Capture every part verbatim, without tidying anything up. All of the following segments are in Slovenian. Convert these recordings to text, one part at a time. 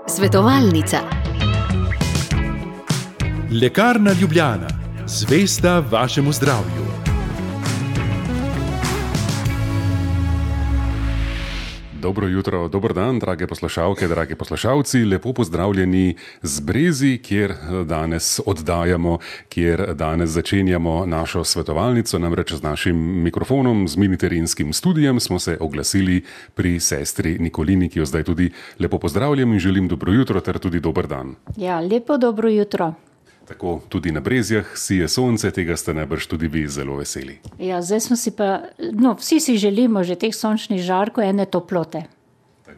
Svetovalnica. Lekarna Ljubljana, zvesta vašemu zdravju. Dobro jutro, dober dan, drage poslušalke, dragi poslušalci, lepo pozdravljeni z Brezi, kjer danes oddajamo, kjer danes začenjamo našo svetovalnico, namreč z našim mikrofonom, z miniterijskim studijem smo se oglasili pri sestri Nikolini, ki jo zdaj tudi lepo pozdravljam in želim dobro jutro ter tudi dober dan. Ja, lepo dobro jutro. Tako tudi na Brezjah sije sonce, tega ste najbrž tudi vi zelo veseli. Ja, zdaj smo si pa, no, vsi si želimo že teh sončnih žarkov, ene toplote.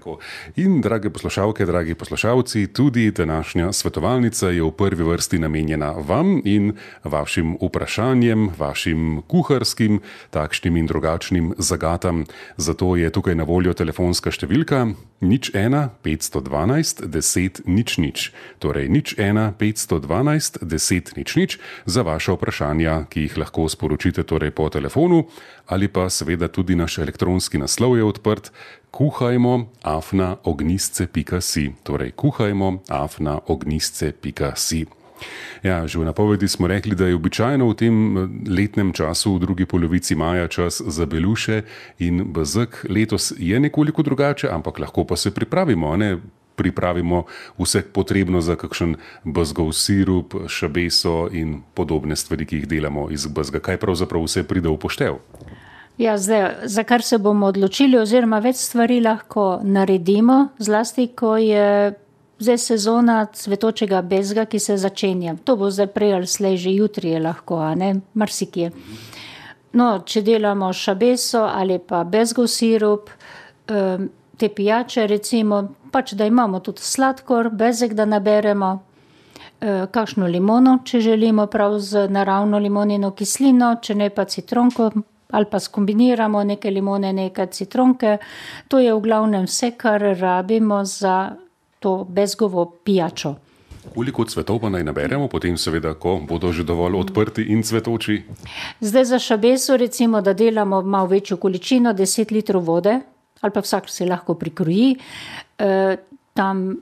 Tako. In, drage poslušalke, dragi poslušalci, tudi današnja svetovalnica je v prvi vrsti namenjena vam in vašim vprašanjem, vašim kuharskim, takšnim in drugačnim zagatam. Zato je tukaj na voljo telefonska številka nič ena petsto dvanajst deset nič nič. Torej nič ena petsto dvanajst deset nič nič za vaše vprašanja, ki jih lahko sporočite torej po telefonu ali pa seveda tudi naš elektronski naslov je odprt kuhajmo afna ognjisce pika si. Torej kuhajmo afna ognjisce pika si. Ja, že v napovedi smo rekli, da je običajno v tem letnem času, v drugi polovici maja, čas za beluše in bezeg. Letos je nekoliko drugače, ampak lahko pa se pripravimo, ne? Pripravimo vse potrebno za kakšen bezgov sirup, šabeso in podobne stvari, ki jih delamo iz bezga. Kaj pravzaprav vse pride v poštev? Ja, zdaj, za kar se bomo odločili, oziroma več stvari lahko naredimo, zlasti, ko je zdaj sezona cvetočega bezga, ki se začenja. To bo zdaj prej ali slej, že jutri je lahko, a ne, marsikje. No, če delamo šabeso ali pa bezgov sirup, te pijače recimo, pač da imamo tudi sladkor, bezeg, da naberemo, kakšno limono, če želimo prav z naravno limonino kislino, če ne pa citronko, ali pa skombiniramo neke limone, neke citronke. To je v glavnem vse, kar rabimo za to bezgovo pijačo. Koliko cvetov pa naj naberemo, potem seveda, ko bodo že dovolj odprti in cvetoči? Zdaj za šabeso recimo, da delamo malo večjo količino, deset litrov vode, ali pa vsak se lahko prikroji. E, tam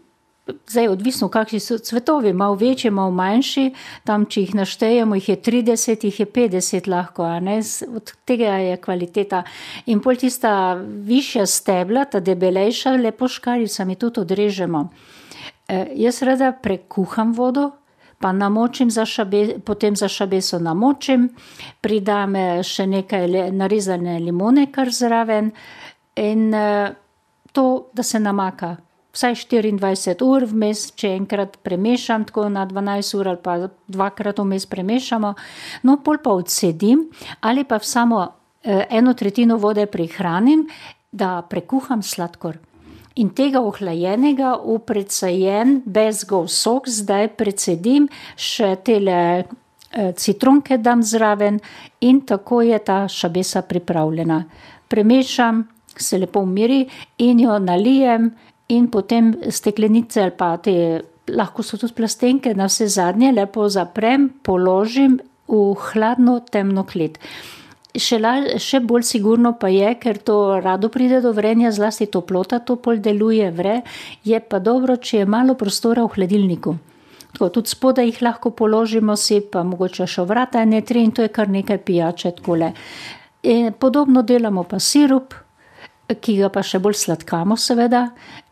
Zdaj, odvisno, kakšni so cvetovi, malo večji, malo manjši, tam, če jih naštejemo, jih je trideset, jih je petdeset lahko, a ne, od tega je kvaliteta. In pol tista višja stebla, ta debelejša, lepo škarjica, mi tudi odrežemo. E, jaz rada prekuham vodo, pa namočim za šabe, potem za šabeso namočim, pridam še nekaj narezane limone kar zraven in e, to, da se namaka. Vsaj štiriindvajset ur vmes, če enkrat premešam, tako na dvanajst ur ali pa dvakrat vmes premešamo. No, pol pa odsedim ali pa samo eno tretjino vode prihranim, da prekuham sladkor. In tega ohlajenega v precejen bezgov sok zdaj precedim, še tele citronke dam zraven in tako je ta šabesa pripravljena. Premešam, se lepo umiri in jo nalijem, in potem steklenice ali pa te, lahko so tudi plastenke, na vse zadnje lepo zaprem, položim v hladno temno klet. Še, la, še bolj sigurno pa je, ker to rado pride do vrenja, zlasti toplota to pol deluje, vre, je pa dobro, če je malo prostora v hladilniku. Tako, tudi spodaj jih lahko položimo si, pa mogoče še vrata ene tri in to je kar nekaj pijače takole. In podobno delamo pa sirup, ki ga pa še bolj sladkamo seveda,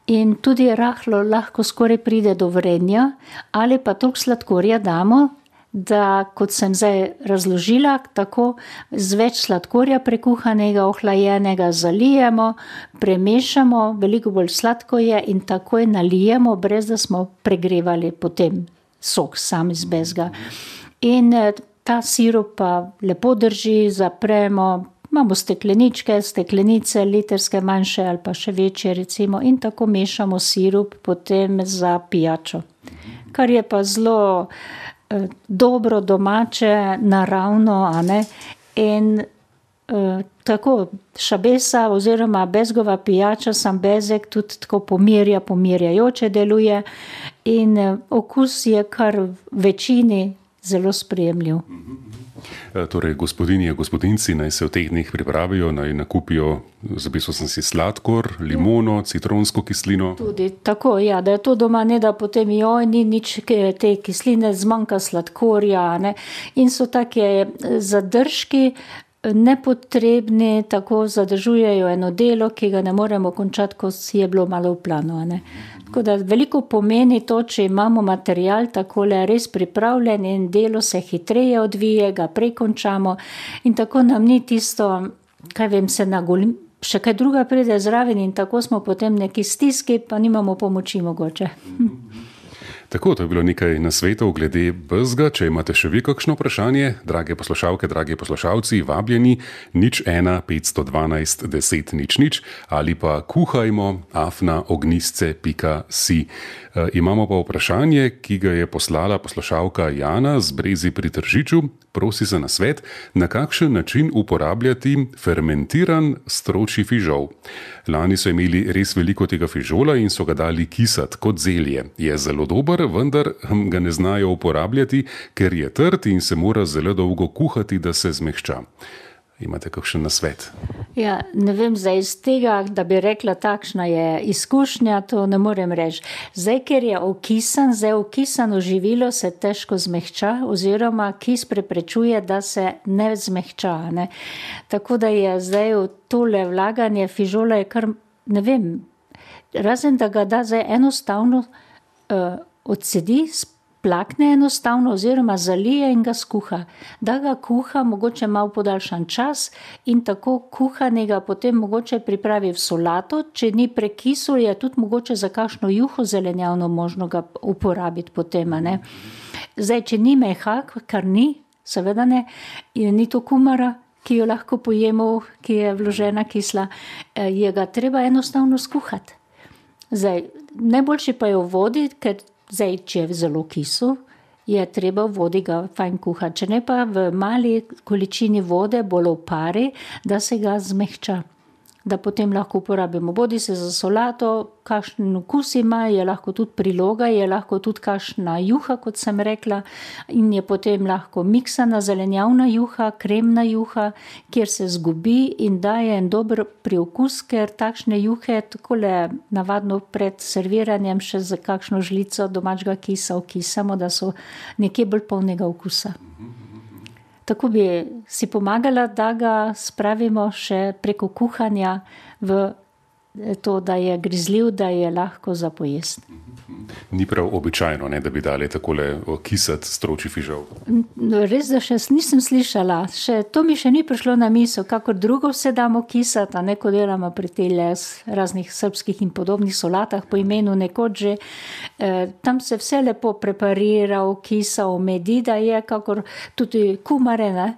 in tudi rahlo lahko skoraj pride do vrenja, ali pa toliko sladkorja damo, da kot sem zdaj razložila, tako z več sladkorja prekuhanega, ohlajenega zalijemo, premešamo, veliko bolj sladko je in takoj nalijemo, brez da smo pregrevali potem sok sam iz bezga. In ta sirup pa lepo drži, zapremo, imamo stekleničke, steklenice, litrske manjše ali pa še večje recimo in tako mešamo sirup potem za pijačo. Kar je pa zelo eh, dobro, domače, naravno, a ne, in eh, tako šabesa oziroma bezgova pijača, sam bezeg tudi tako pomirja, pomirjajoče deluje in eh, okus je kar v večini zelo sprejemljiv. Torej, gospodinje, gospodinci naj se v teh dneh pripravijo, naj nakupijo, zapisal sem si sladkor, limono, citronsko kislino. Tudi tako, ja, da je to doma, ne da potem joj, ni nič te kisline, zmanjka sladkorja, ne. In so take zadržki nepotrebni, tako zadržujejo eno delo, ki ga ne moremo končati, ko si je bilo malo v planu, ne. Tako da veliko pomeni to, če imamo material takole res pripravljen in delo se hitreje odvije, ga prekončamo in tako nam ni tisto, kaj vem, se nagolim, še kaj druga pride zraven in tako smo potem neki stiski, pa nimamo pomoči mogoče. Tako, to je bilo nekaj nasvetov glede bezga. Če imate še vi kakšno vprašanje, drage poslušalke, dragi poslušalci, vabljeni nič ena petsto dvanajst deset nič nič ali pa kuhajmo afna ognjisce pika si. E, imamo pa vprašanje, ki ga je poslala poslušalka Jana z Brezi pri Tržiču. Prosi za nasvet, na kakšen način uporabljati fermentiran stročji fižol. Lani so imeli res veliko tega fižola in so ga dali kisati kot zelje. Je zelo dober, vendar ga ne znajo uporabljati, ker je trd in se mora zelo dolgo kuhati, da se zmehča. Imate kakšen nasvet? Ja, ne vem, zdaj iz tega, da bi rekla, takšna je izkušnja, to ne morem reči. Zdaj, ker je okisan, zdaj okisano živilo se težko zmehča, oziroma kis preprečuje, da se ne zmehča, ne. Tako da je zdaj v tole vlaganje fižola je kar, ne vem, razen da ga da zdaj enostavno uh, odsedi, plakne enostavno oziroma zalije in ga skuha. Da ga kuha mogoče malo podaljšan čas in tako kuhanega potem mogoče pripravi v solato, če ni prekisel, je tudi mogoče za kakšno juho zelenjavno možno ga uporabiti potem, ne. Zdaj, če ni mehak, kar ni, seveda ne, ni to kumara, ki jo lahko pojemo, ki je vložena kisla, je ga treba enostavno skuhati. Zdaj, najboljši pa je v vodi, ker zdaj, če je zelo kisel, je treba v vodi ga fajn kuhati. Če ne pa v mali količini vode, bolj v pari, da se ga zmehča. Da potem lahko uporabimo. Bodi se za solato, kakšen okus ima, je lahko tudi priloga, je lahko tudi kakšna juha, kot sem rekla, in je potem lahko miksana zelenjavna juha, kremna juha, kjer se zgubi in daje en dober priokus, ker takšne juhe takole navadno pred serviranjem še za kakšno žlico domačega kisa okisamo, da so nekje bolj polnega okusa. Tako bi si pomagala, da ga spravimo še preko kuhanja v to, da je grizljiv, da je lahko za pojesti. Ni prav običajno, ne, da bi dali takole kisati stročji fižol. Res, da še nisem slišala. Še, to mi še ni prišlo na misel, kakor drugo vse damo kisati, a ne, ko delamo pri tele raznih srbskih in podobnih solatah po imenu nekoč že. Eh, tam se vse lepo preparira, okisa, omedi, da je kakor tudi kumare, ne.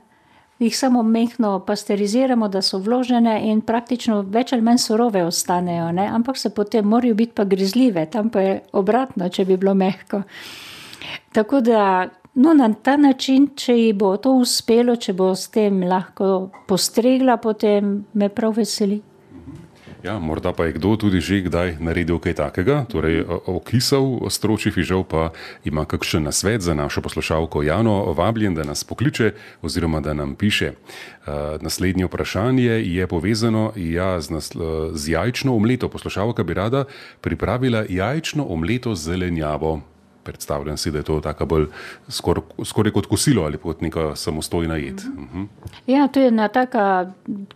Jih samo mehko pasteriziramo, da so vložene in praktično več ali manj surove ostanejo, ne? Ampak se potem morajo biti pa grizljive, tam pa je obratno, če bi bilo mehko. Tako da, no, na ta način, če ji bo to uspelo, če bo s tem lahko postregla, potem me prav veseli. Ja, morda pa je kdo tudi že kdaj naredil kaj takega, torej okisal stročji fižol, pa ima kakšen nasvet za našo poslušalko Jano, vabljen, da nas pokliče oziroma da nam piše. Uh, naslednje vprašanje je povezano ja, z, naslo, z jajčno omleto. Poslušalka bi rada pripravila jajčno omleto z zelenjavo. Predstavljam si, da je to taka bolj skoraj skor kot kosilo ali kot neka samostojna jed. Uh-huh. Ja, to je ena taka,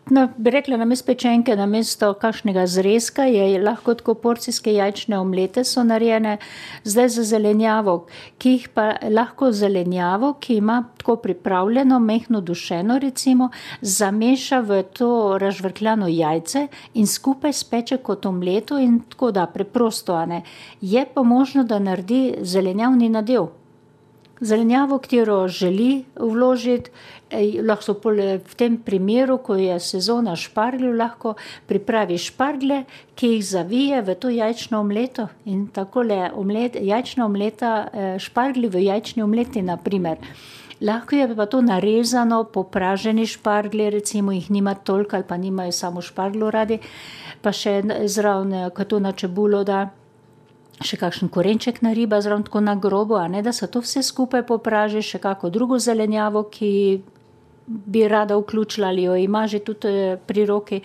no, bi rekla, namesto pečenke, namesto kakšnega zrezka, je lahko tako porcijske jajčne omlete so narejene zdaj za zelenjavo, ki jih pa lahko zelenjavo, ki ima tako pripravljeno, mehno dušeno recimo, zameša v to razžvrkljano jajce in skupaj speče kot omleto in tako da, preprosto, a ne. Je pa možno, da naredi zelenjavni nadev. Zelenjavo, katero želi vložiti, lahko v tem primeru, ko je sezona špargljev, lahko pripravi šparglje, ki jih zavije v to jajčno omleto in takole omlet, jajčna omleta, šparglji v jajčni omleti, na primer. Lahko je pa to narezano, popraženi šparglji, recimo jih nima toliko ali pa nimajo samo špargljo radi, pa še zraven, ko to na čebulo da, še kakšen korenček na riba, zraven tako na grobo, a ne, da se to vse skupaj popraži, še kako drugo zelenjavo, ki bi rada vključila, ali jo ima že tudi pri roki.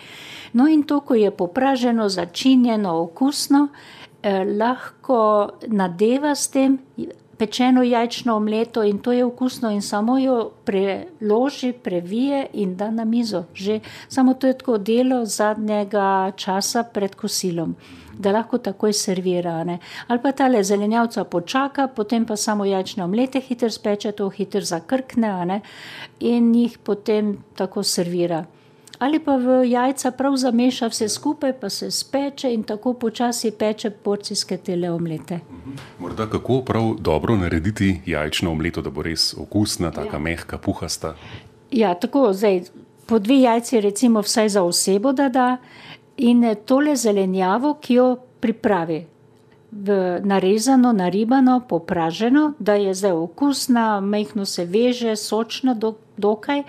No in to, ko je popraženo, začinjeno, okusno, eh, lahko nadeva s tem pečeno jajčno omleto in to je okusno in samo jo preloži, previje in da na mizo. Že samo to je tako delo zadnjega časa pred kosilom, da lahko takoj servira. Ne? Ali pa tale zelenjavca počaka, potem pa samo jajčne omlete hiter speče, to hiter zakrkne, ne? In jih potem tako servira. Ali pa v jajca prav zameša vse skupaj, pa se speče in tako počasi peče porcijske tele omlete. Morda kako prav dobro narediti jajčno omleto, da bo res okusna, taka ja. Mehka, puhasta? Ja, tako, zdaj, po dve jajci recimo vsaj za osebo da da in tole zelenjavo, ki jo pripravi. V narezano, naribano, popraženo, da je zdaj okusna, mehko se veže, sočna do, dokaj,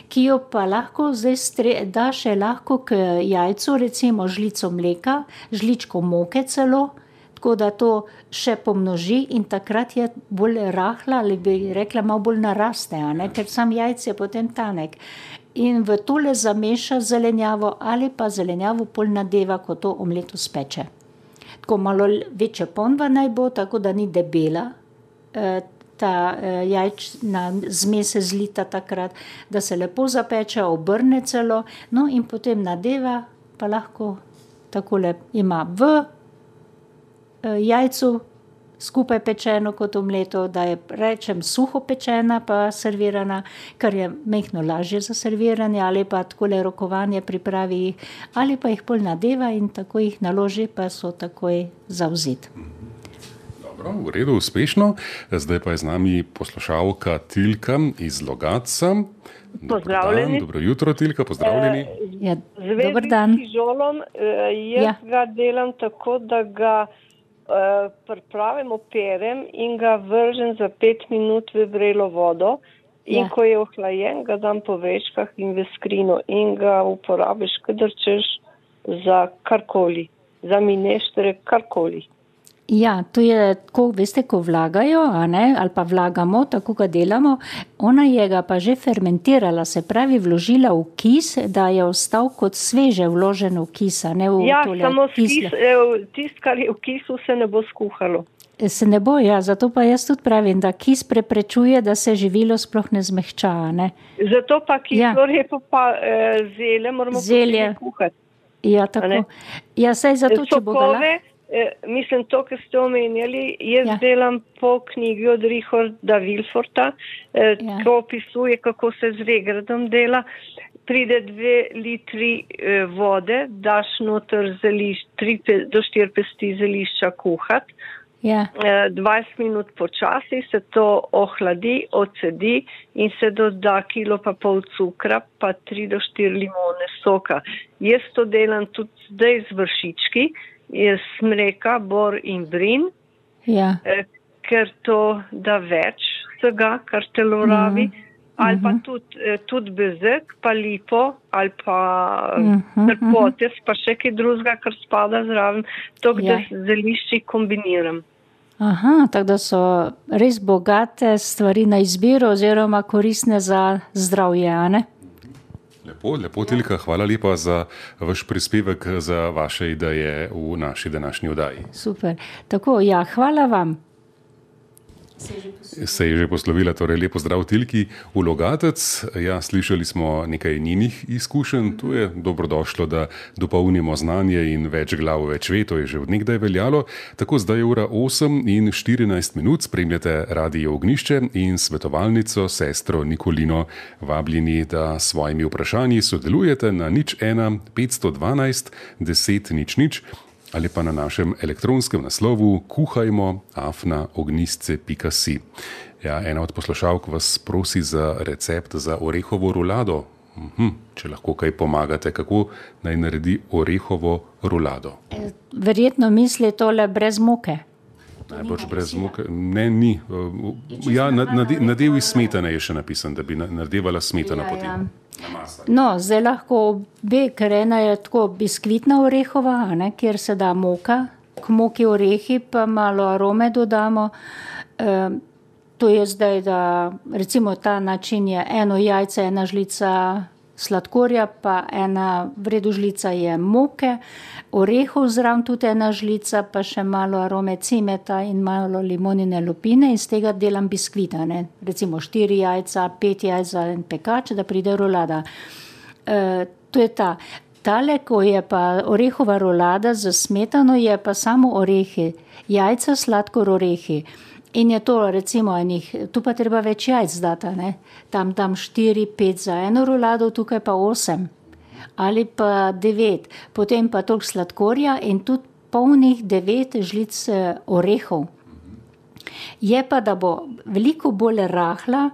ki jo pa lahko zdaj stre, da še lahko k jajcu, recimo žlico mleka, žličko moke celo, tako da to še pomnoži in takrat je bolj rahla, ali bi rekla malo bolj naraste, a ne? Ker sam jajc je potem tanek. In v tole zameša zelenjavo ali pa zelenjavo pol nadeva, ko to omleto speče. Tako malo večja ponva naj bo, tako da ni debela, ta jajčna zmes se zlita takrat, da se lepo zapeče, obrne celo, no in potem nadeva, pa lahko takole ima v jajcu skupaj pečeno kot omleto, da je, rečem, suho pečena pa servirana, kar je mehko lažje za serviranje, ali pa takole rokovanje pripravi jih, ali pa jih pol nadeva in tako jih naloži, pa so takoj zavzeti. Dobro, v redu, uspešno. Zdaj pa je z nami poslušalka Tilka iz Logatca. Pozdravljeni. Dobro jutro, Tilka, pozdravljeni. E, ja, dober dan. Z žolom, jaz ja. Ga delam tako, da ga Uh, pripravim, operem in ga vržem za pet minut v vrelo vodo in ja. Ko je ohlajen, ga dam po vrečkah in v skrino in ga uporabiš, kadar češ za karkoli, za mineštere, karkoli. Ja, to je, ko, veste, ko vlagajo, a ne, ali pa vlagamo, tako ga delamo, ona je ga pa že fermentirala, se pravi vložila v kis, da je ostal kot sveže vložen v kis, a ne v ja, tole samo kisle. Kis, tist, kar je v kisu, se ne bo skuhalo. Se ne bo, ja, zato pa jaz tudi pravim, da kis preprečuje, da se živilo sploh ne zmehča, ne. Zato pa kislo ja. Repo pa eh, zelje moramo zelje kuhati. Ja, tako. Ja, saj zato, če bo ga lahko... Eh, mislim, to, kar ste omenjali, jaz ja. Delam po knjigi od Richarda Wilforta, eh, ja. Ko opisuje, kako se z regradom dela. Pride dve litri eh, vode, daš noter zelišč, tri do štiri pesti zelišča kuhat. Ja. Eh, dvajset minut počasi se to ohladi, odsedi in se doda kilo pa pol cukra, pa tri do štiri limone soka. Jaz to delam tudi zdaj z vršički, je smreka, bor in brin, ja. eh, ker to da več vsega, kar telo rabi, mm-hmm. ali pa tudi, eh, tudi bezek, pa lipo, ali pa mm-hmm. trpotes, pa še kaj drugega, kar spada zraven, to, ja. Da zelišči kombiniram. Aha, tako da so res bogate stvari na izbiro oziroma koristne za zdravje, a ne? Lepo, lepo, Tilka, hvala lepa za vaš prispevek, za vaše ideje v naši današnji oddaji. Super. Tako, ja, hvala vam. Se je že poslovila, torej lepo zdrav Tilki v Logatec. Ja, slišali smo nekaj njenih izkušenj, tu je dobrodošlo, da dopolnimo znanje in več glav, več ve, to je že od nekdaj veljalo. Tako zdaj je ura osem in štirinajst minut, spremljate Radio Ognjišče in svetovalnico sestro Nikolino, vabljeni, da s svojimi vprašanji sodelujete na nič ena petsto dvanajst deset nič nič ali pa na našem elektronskem naslovu kuhajmo afna ognjisce pika si. Ja, ena od poslušalk vas prosi za recept za orehovo rulado. Mhm, če lahko kaj pomagate, kako naj naredi orehovo rulado? Verjetno misli tole brez moke. Najbolj brez moke. Ne, ni. Ja, nadev iz smetane je še napisan, da bi nadevala smetana ja, potem. Ja. No, zdaj lahko obe, ker ena je tako biskvitna orehova, ne, kjer se da moka, k moki orehi pa malo arome dodamo. E, to je zdaj, da recimo ta način je eno jajce, ena žlica sladkorja, pa ena v redu žlica je moke, orehov zraven tudi ena žlica, pa še malo arome cimeta in malo limonine lupine, in z tega delam biskvita, ne. Recimo štiri jajca, pet jajc za en pekač, da pride rolada. E, to je ta. Tale, ko je pa orehova rolada za smetano, je pa samo orehi, jajca, sladkor, orehi. In je to recimo enih, tu pa treba več jajc data, ne. Tam dam štiri, pet za eno rolado, tukaj pa osem. Ali pa devet. Potem pa toliko sladkorja in tudi polnih devet žlic orehov. Je pa, da bo veliko bolj rahla,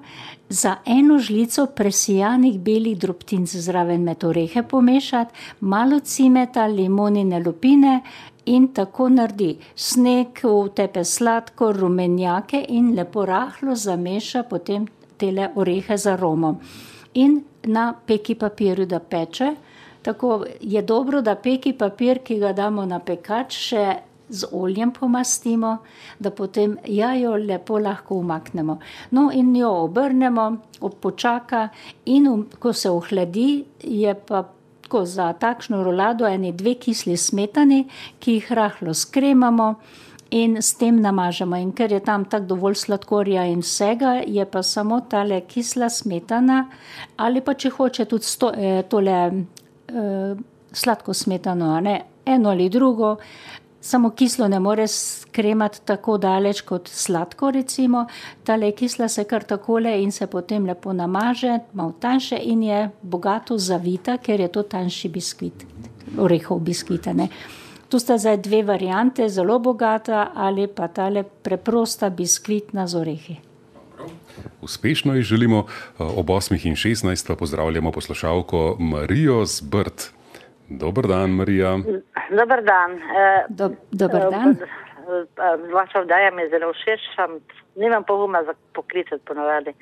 za eno žlico presijanih belih drobtinc zraven med orehe pomešati, malo cimeta, limonine lupine in tako naredi. Sneg, vtepe sladkor, rumenjake in lepo rahlo zameša potem tele orehe z aromo. In na peki papirju, da peče. Tako je dobro, da peki papir, ki ga damo na pekač, še z oljem pomastimo, da potem jajo lepo lahko umaknemo. No in jo obrnemo, počaka in ko se ohladi, je pa tako za takšno rolado eni dve kisli smetani, ki jih rahlo skremamo in s tem namažemo. In ker je tam tako dovolj sladkorja in vsega, je pa samo tale kisla smetana, ali pa če hoče tudi sto, eh, tole eh, sladko smetano, a ne, eno ali drugo. Samo kislo ne more skremati tako daleč kot sladko, recimo. Tale kisla se kar takole in se potem lepo namaže, malo tanjše in je bogato zavita, ker je to tanjši biskvit, orehov biskvita, ne. Tu sta zdaj dve variante, zelo bogata ali pa tale preprosta biskvitna z orehi. Uspešno ji želimo. Ob osmih in šestnajst pa pozdravljamo poslušalko Marijo z Brd. Dober dan, Marija. Dober dan. Do, dober dan. Vaša vdaja mi je zelo všeč, nimam poguma za poklicati ponovadi.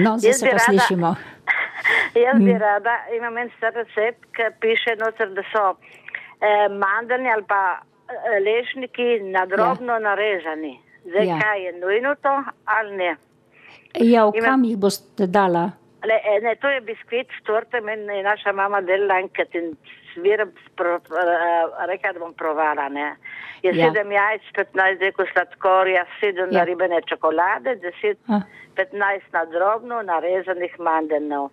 No, zdaj se pa slišimo. Jaz bi rada, imam en star recept, ki piše noter, da so eh, mandeljni ali pa lešniki nadrobno ja. narezani. Zdaj, ja. kaj je nujno to ali ne? Ja, v kam jih boste dala? Le, ne, to je biskvit s tortem in je naša mama delala enkrat in sviram, rekla, da bom provala, ne. Je ja. sedem jajc, petnajst deko sladkorja, sedem ja. naribane čokolade, deset, ah. petnajst nadrobno narezanih mandeljev.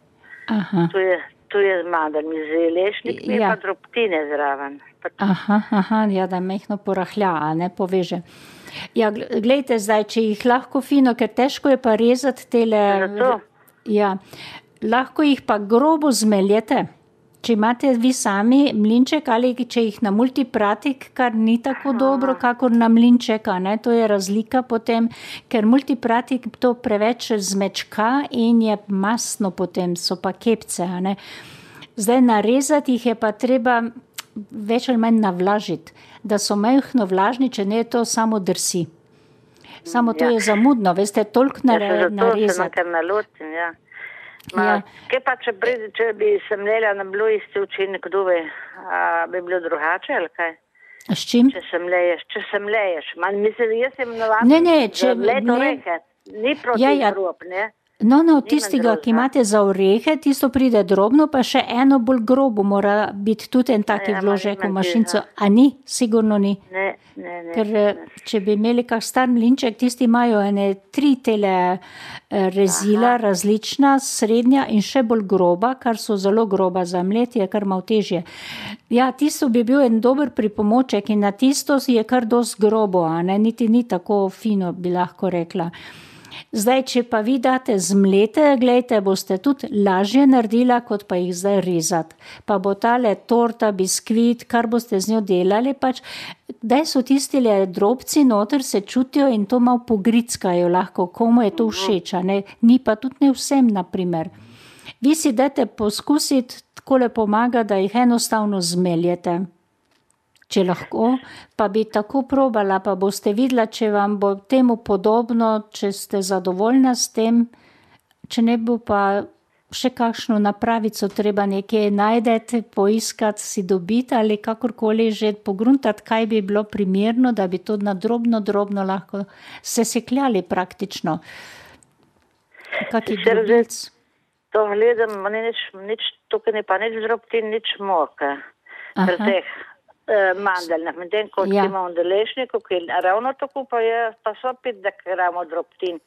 Tu je, tu je mandeljni z lešniki, ja. pa drobtine zraven. Aha, aha, ja, da mehno porahlja, a ne poveže. Ja, glejte zdaj, če jih lahko fino, ker težko je pa rezati tele... Zato? Ja, lahko jih pa grobo zmeljete, če imate vi sami mlinček ali če jih na multipratik, kar ni tako Aha. dobro, kakor na mlinčeka, ne, to je razlika potem, ker multipratik to preveč zmečka in je masno potem, so pa kepce, a ne. Zdaj narezati jih je pa treba več ali manj navlažiti, da so mehno vlažni, če ne to samo drsi. Samo to ja. je zamudno, veste, toliko nare, narezati. Ja, zato se nekaj nalutim, ja. Ma, ja. Kaj pa, če, če bi se mlela na bilo isti učinek duve, a bi bilo drugače, ali kaj? S čim? Če se mleješ, če se mleješ. Man, mislim, jaz sem navadno, ne, ne, če mlet orehe, ni proti ja, ja. grob, ne? No, no, tistega, ki imate za orehe, tisto pride drobno, pa še eno bolj grobo mora biti tudi en taki ja, vložek v mašinco. A ni? Sigurno ni. Ne, ne, ne. Ker ne. Če bi imeli kak star mlinček, tisti imajo ene tri tele rezila, Aha. različna, srednja in še bolj groba, kar so zelo groba za mletje, kar malo težje. Ja, tisto bi bil en dober pripomoček in na tisto je kar dosti grobo, a ne, niti ni tako fino, bi lahko rekla. Zdaj, če pa vi date zmlete, gledajte, boste tudi lažje naredila, kot pa jih zdaj rezati. Pa bo tale torta, biskvit, kar boste z njo delali, pač, daj so tistile drobci noter, se čutijo in to malo pogrickajo lahko, komu je to všeč, ne? Ni pa tudi ne vsem, naprimer. Vi si dajte poskusiti, takole pomaga, da jih enostavno zmeljete. Če lahko, pa bi tako probala, pa boste videla, če vam bo temu podobno, če ste zadovoljna s tem, če ne bo pa še kakšno napravico treba nekje najdete, poiskati, si dobiti ali kakorkoli že pogruntati, kaj bi bilo primerno, da bi to na drobno, drobno lahko sesekljali praktično. Kaki drobilc? To gledam, ni nič, nič, tukaj ni pa nič drobtin, nič moke. Pri teh uh, mandeljnih. Medtem, ko ja. imamo v deležniku, ki ravno tako pa je, pa so pet gramov drobtin.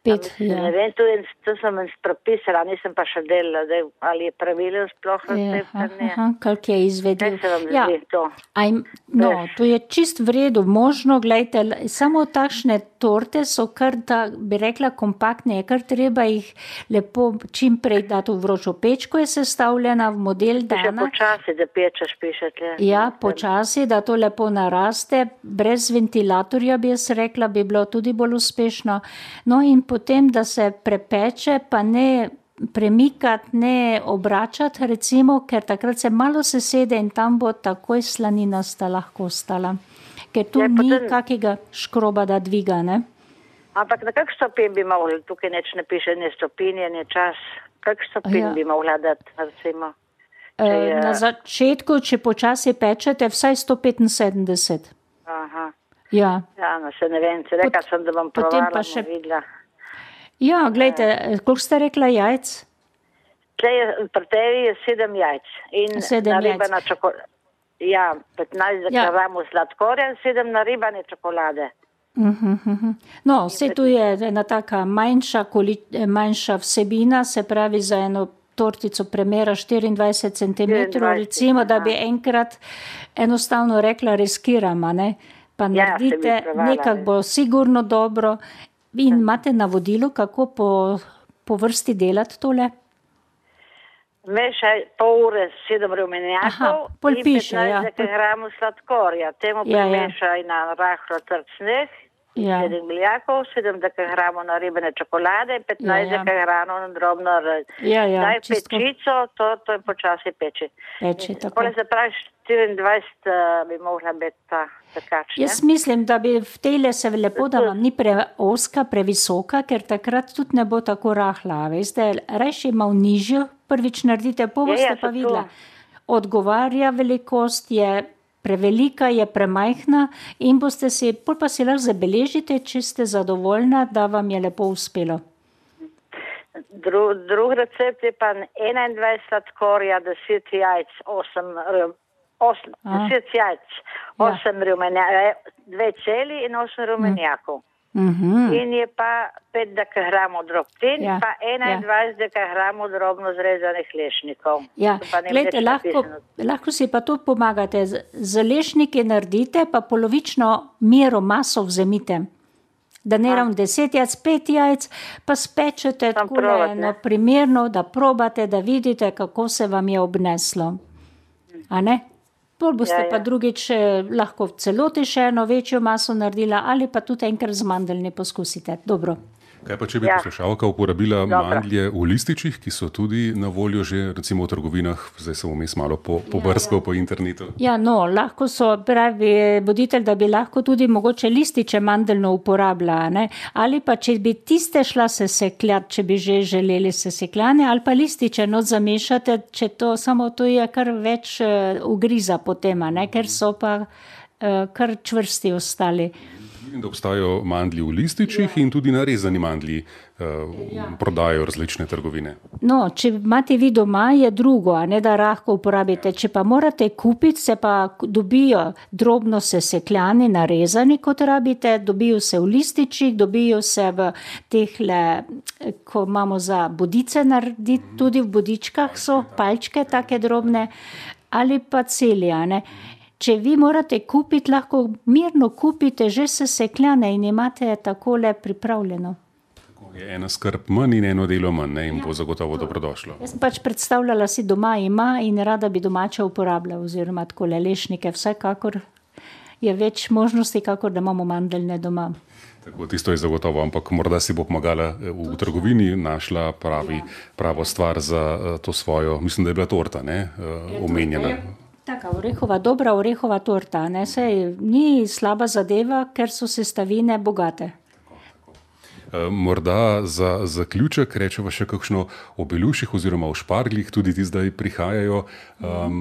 Pet, mislim, ja. Ne vem, to, je, to sem prepisala, nisem pa še delala, da, ali je pravilno sploh recept, ja, ne. Aha, kak je izvedel. Kaj se vam ja. zdi to? Aj, no, to je čist v redu, možno, gledajte, samo takšne torte so kar, da bi rekla, kompaktne, je kar treba jih lepo čim prej dati v vročo pečko, je sestavljena v model dana. Še počasi, da pečeš, pišete. Ja, počasi, da to lepo naraste, brez ventilatorja bi jaz rekla, bi bilo tudi bolj uspešno. No in potem, da se prepeče, pa ne premikati, ne obračati, recimo, ker takrat se malo sesede in tam bo takoj slaninasta lahko ostala. Ker tu ja, ni potem... kakega škroba, da dviga, ne? Ampak na kak stopin bi mogli, tukaj neč ne piše, ne stopinje, ne čas, kak stopin ja. bi mogla dati, recimo? E, je... Na začetku, če počasi pečete, vsaj sto petinsedemdeset. Aha. Ja. Ja, no se ne vem, se reka Pot, sem, da bom provala, še... videla. Ja, gledajte, koliko ste rekla jajc? Pri tebi je sedem jajc. In sedem naribana čokolada. Ja, petnajst ja. gramov sladkorja in sedem naribane čokolade. Uh-huh, uh-huh. No, vse tu je ena taka manjša, manjša vsebina, se pravi za eno tortico premera štiriindvajset centimetrov, recimo, da bi enkrat enostavno rekla riskirama, ne? Pa naredite, ja, nekak bo sigurno dobro. In imate navodilo, kako po, po vrsti delati tole? Mešaj pol ure sedem rumenjakov in petnajst gramov sladkorja. Temu ja, primešaj ja. na rahlo trd sneh, ja. sedem miljakov, sedem gramov naribane čokolade in petnajst ja, ja. gramov na drobno rž. Ja, ja, Daj pečico, to, to je počasi peči. Peči, tako. Pole se pravi štiriindvajset uh, bi mogla biti ta tekač. Jaz mislim, da bi v tejle se lepo, da vam ni preoska, previsoka, ker takrat tudi ne bo tako rahla. Veste, rajši malo nižjo, prvič naredite, po boste ja, ja, pa videla. Odgovarja velikost, je prevelika, je premajhna in boste si, pol pa si lahko zabeležite, če ste zadovoljna, da vam je lepo uspelo. Dru, drug recept je pa enaindvajset sladkorja, deset jajc, osem Osem, deset jajc, osem ja. rumenjakov, dve celi in osem rumenjakov. Mm-hmm. In je pa pet gramov drobtin, ja. pa enaindvajset ja. gramov drobno zrezanih lešnikov. Ja, gledajte, lahko, lahko si pa to pomagate. Z, z lešniki naredite, pa polovično mero maso vzemite. Da ne ravno deset jajc, pet jajc, pa spečete takole na primerno, da probate, da vidite, kako se vam je obneslo. A ne? Pol boste ja, ja. pa drugič lahko v celoti še eno večjo maso naredila ali pa tudi enkrat z mandeljni poskusite. Dobro. Kaj pa, če bi ja. poslušalka uporabila Dobro. mandlje v lističih, ki so tudi na voljo že recimo v trgovinah, zdaj sem vmes malo po, pobrskal ja, ja. po internetu. Ja, no, lahko so, pravi voditelj, da bi lahko tudi mogoče lističe mandeljno uporabila, ne? Ali pa, če bi tiste šla se sekljati, če bi že želeli se sekljane, ali pa lističe not zamešate, če to, samo to je kar več uh, ugriza potem, ne? Ker so pa uh, kar čvrsti ostali. In da obstajajo mandlji v lističih ja. in tudi narezani mandlji uh, ja. prodajajo različne trgovine. No, če imate vi doma, je drugo, a ne da lahko uporabite. Če pa morate kupiti, se pa dobijo drobno sesekljani, narezani, kot rabite, dobijo se v lističih, dobijo se v tehle, ko imamo za bodice narediti, tudi v bodičkah so palčke take drobne, ali pa celi, a ne. Če vi morate kupiti, lahko mirno kupite že sesekljane in imate takole pripravljeno. Tako je ena skrb manj in eno delo manj, ne, in ja, bo zagotovo to dobrodošlo. Jaz sem pač predstavljala si doma ima in rada bi domače uporabljala, oziroma takole lešnike, vsekakor je več možnosti, kakor da imamo mandeljne doma. Tako, tisto je zagotovo, ampak morda si bo pomagala v trgovini, našla pravi, pravo stvar za to svojo, mislim, da je bila torta, ne, omenjena. Taka orehova, dobra orehova torta, ne, sej ni slaba zadeva, ker so sestavine bogate. Morda za zaključek rečeva še kakšno o beluših oziroma o šparglih, tudi ti zdaj prihajajo um,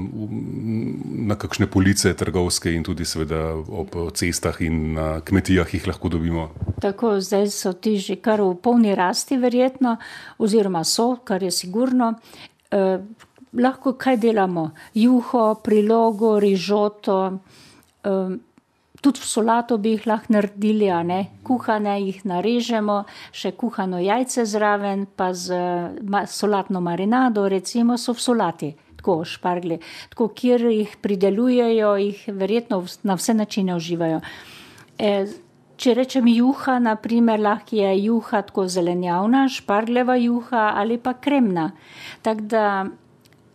na kakšne police trgovske in tudi seveda ob cestah in na kmetijah jih lahko dobimo. Tako, zdaj so ti že kar v polni rasti verjetno, oziroma so, kar je sigurno. Eh, lahko kaj delamo? Juho, prilogo, rižoto, eh, tudi v solato bi jih lahko naredili, a ne? Kuhane jih narežemo, še kuhano jajce zraven, pa z ma, solatno marinado, recimo so v solati. Tako, šparglji. Tako, kjer jih pridelujejo, jih verjetno na vse načine uživajo. Eh, Če rečem juha, naprimer, lahko je juha tako zelenjavna, špargljeva juha ali pa kremna. Tako da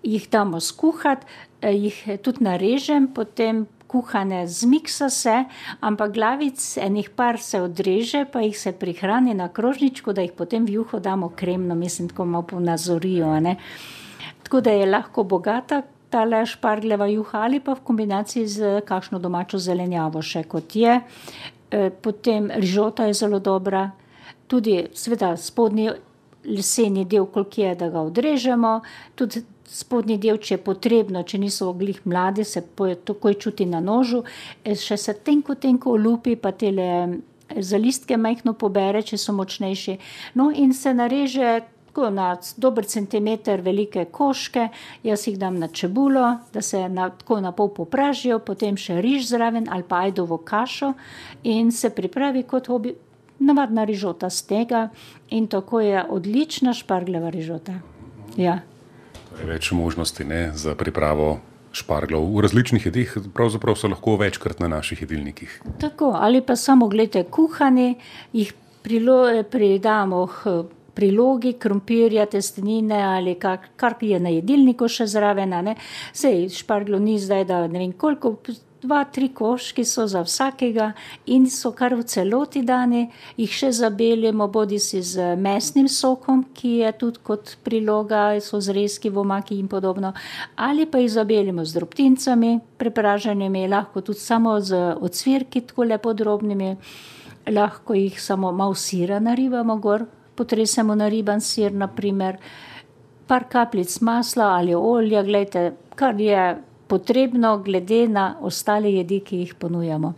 jih damo skuhati, jih tudi narežem, potem kuhane zmiksa se, ampak glavic enih par se odreže, pa jih se prihrani na krožničku, da jih potem v juho damo kremno, mislim, tako malo ponazorijo, ne. Tako da je lahko bogata tale špargljeva juha ali pa v kombinaciji z kakšno domačo zelenjavo še kot je. Potem rižota je zelo dobra, tudi seveda spodnji leseni del, koliko je, da ga odrežemo, tudi spodnji del, če je potrebno, če niso glih mladi, se takoj čuti na nožu, še se tenko, tenko olupi, pa tele zalistke majhno pobere, če so močnejši. No in se nareže tako na dober centimeter velike koške, jaz jih dam na čebulo, da se na, tako na pol popražijo, potem še riž zraven ali pa ajdovo kašo in se pripravi kot obi, navadna rižota z tega in tako je odlična špargljeva rižota. Ja. Več možnosti, ne, za pripravo šparglov v različnih jedih, pravzaprav so lahko večkrat na naših jedilnikih. Tako, ali pa samo gledajte kuhani, jih prilo, pridamo prilogi, krompirja, testenine ali kar, kar je na jedilniku še zraven, ne. Sej šparglo ni zdaj, da ne vem koliko, dva, tri koški so za vsakega in so kar v celoti dani, jih še zabelimo bodi si z mesnim sokom, ki je tudi kot priloga, so zrezki v omaki in podobno, ali pa jih zabelimo z drobtincami, prepraženimi, lahko tudi samo z ocvirki, tako lepo drobnimi, lahko jih samo malo sira naribamo gor, potresemo na riban sir, naprimer, par kapljic masla ali olja, glejte, kar je potrebno glede na ostale jedi, ki jih ponujamo.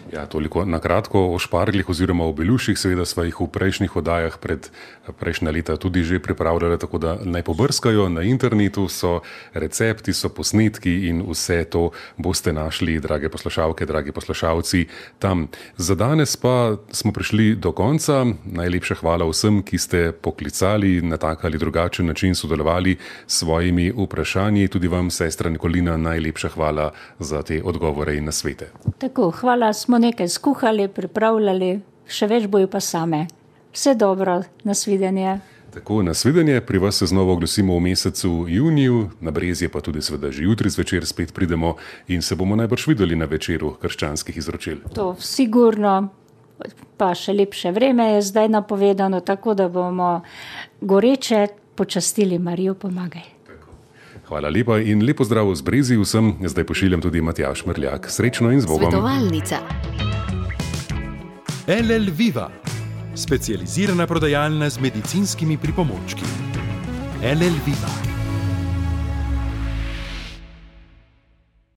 Ja, toliko na kratko o šparglih oziroma o beluših, seveda sva jih v prejšnjih oddajah pred prejšnja leta tudi že pripravljali, tako da naj pobrskajo na internetu, so recepti, so posnetki in vse to boste našli, drage poslušalke, dragi poslušalci, tam. Za danes pa smo prišli do konca. Najlepša hvala vsem, ki ste poklicali, na tak ali drugačen način sodelovali s svojimi vprašanji. Tudi vam, sestra Nikolina, najlepša hvala za te odgovore in nasvete. Tako, hvala, smo nekaj skuhali, pripravljali, še več bojo pa same. Vse dobro, nasvidenje. Tako, nasvidenje, pri vas se znova oglasimo v mesecu juniju, na Brezje pa tudi seveda že jutri zvečer spet pridemo in se bomo najbrž videli na večeru krščanskih izročil. To sigurno, pa še lepše vreme je zdaj napovedano, tako da bomo goreče počastili Marijo Pomagaj. Hvala lepa in lepo zdrav z Brezij vsem. Zdaj pošiljam tudi Matjaž Mrljak. Srečno in z Bogom. Svetovalnica. L L Viva, specializirana prodajalna z medicinskimi pripomočki. L L Viva.